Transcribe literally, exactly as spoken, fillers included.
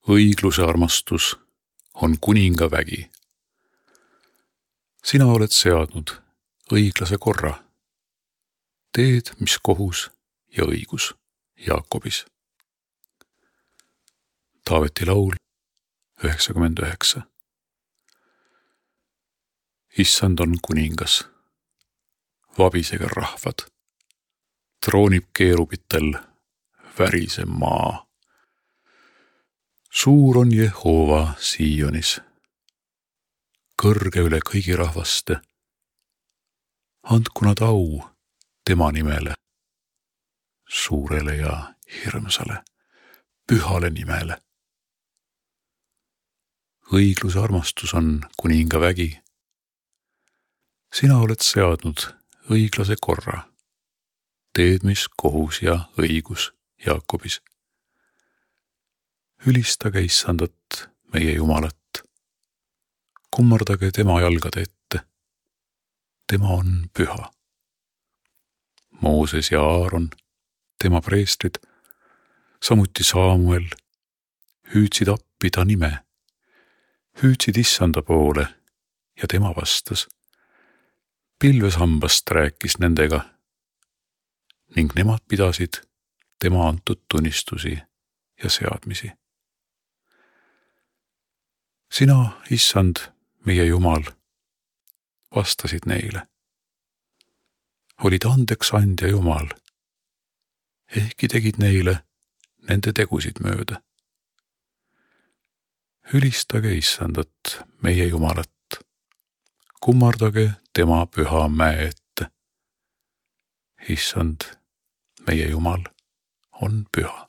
õigluse armastus on kuninga vägi. Sina oled seadnud õiglase korra. Teed, mis kohus ja õigus Jaakobis. Taaveti laul üheksakümmend üheksa. Issand on kuningas. Vabisege rahvad. Troonib keerubitel värise maa. Suur on Jehova Sionis. Kõrge üle kõigi rahvaste. Andku nad au tema nimele. Suurele ja hirmsale, pühale nimele. Õigluse armastus on kuninga vägi. Sina oled seadnud õiglase korra. Teed, mis kohus ja õigus Jaakobis. Ülistage Issandat, meie Jumalat. Kummardage tema jalgade ette. Tema on püha. Mooses ja Aaron, tema preestrid, samuti Saamuel, hüüdsid appi ta nime, hüüdsid Issanda poole ja tema vastas. Pilveshambast rääkis nendega ning nemad pidasid tema antud tunnistusi ja seadmisi. Sina, Issand, meie Jumal, vastasid neile. Olid andeks andja Jumal, ehkki tegid neile nende tegusid mööda. Ülistage Issandat, meie Jumalat. Kummardage tema püha mäe ette. Issand, meie Jumal, on püha.